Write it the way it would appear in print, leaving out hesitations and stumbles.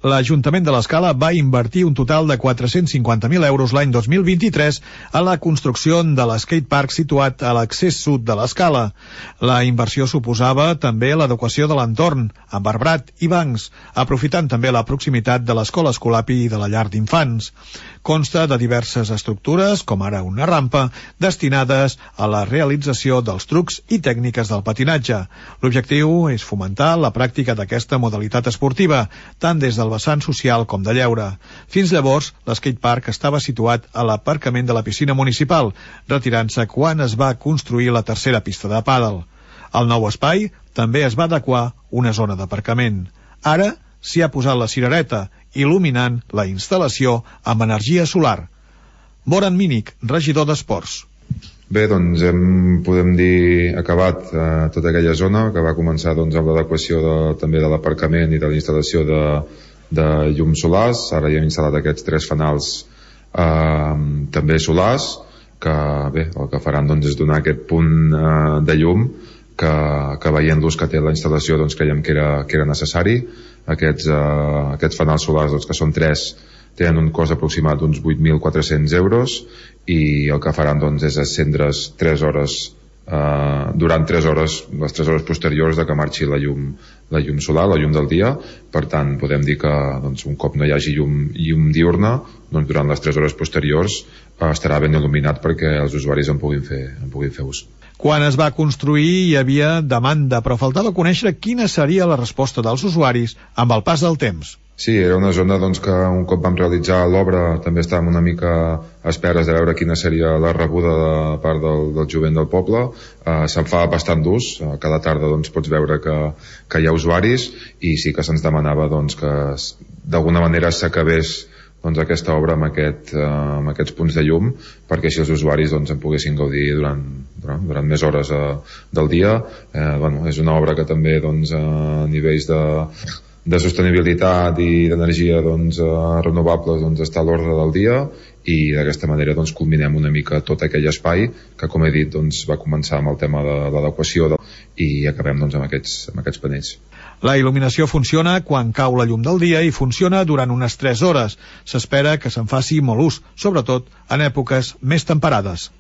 L'Ajuntament de l'Escala va invertir un total de 450.000 euros l'any 2023 a la construcció de l'skatepark situat a l'accés sud de l'Escala. La inversió suposava també l'adequació de l'entorn, amb arbrat i bancs, aprofitant també la proximitat de l'escola Escolapi i de la llar d'infants. Consta de diverses estructures, com ara una rampa, destinades a la realització dels trucs i tècniques del patinatge. L'objectiu és fomentar la pràctica d'aquesta modalitat esportiva, tant des del vessant social com de lleure. Fins llavors, l'skatepark estava situat a l'aparcament de la piscina municipal, retirant-se quan es va construir la tercera pista de pàdel. Al nou espai també es va adequar una zona d'aparcament. Ara s'hi ha posat la cirereta, il·luminant la instal·lació amb energia solar. Moran Mínic, regidor d'Esports. Bé, doncs podem dir acabat tota aquella zona que va començar amb l'adequació també de l'aparcament i de la instal·lació de llums solars. Ara ja hem instal·lat aquests 3 fanals també solars que bé, el que faran és donar aquest punt de llum que veient l'ús que té la instal·lació creiem que era necessari. Aquests fanals solars, que són 3, tenen un cost aproximat d'uns 8.400 euros i el que faran és encendre's 3 hores durant 3 hores, les 3 hores posteriors de que marxi la llum solar, la llum del dia. Per tant, podem dir que un cop no hi hagi llum diurna, durant les 3 hores posteriors estarà ben il·luminat perquè els usuaris en puguin fer ús. Quan es va construir hi havia demanda, però faltava conèixer quina seria la resposta dels usuaris amb el pas del temps. Sí, era una zona que un cop vam realitzar l'obra també estàvem una mica a esperes de veure quina seria la rebuda de part del jovent del poble. Se'n fa bastant d'ús, cada tarda pots veure que hi ha usuaris i sí que se'ns demanava que d'alguna manera s'acabés aquesta obra amb aquests punts de llum perquè així els usuaris en poguessin gaudir durant més hores del dia. És una obra que també a nivells de sostenibilitat i d'energia renovables està a l'ordre del dia i d'aquesta manera culminem una mica tot aquell espai que, com he dit, va començar amb el tema de l'adequació i acabem amb aquests panells. La il·luminació funciona quan cau la llum del dia i funciona durant unes 3 hores. S'espera que se'n faci molt ús, sobretot en èpoques més temperades.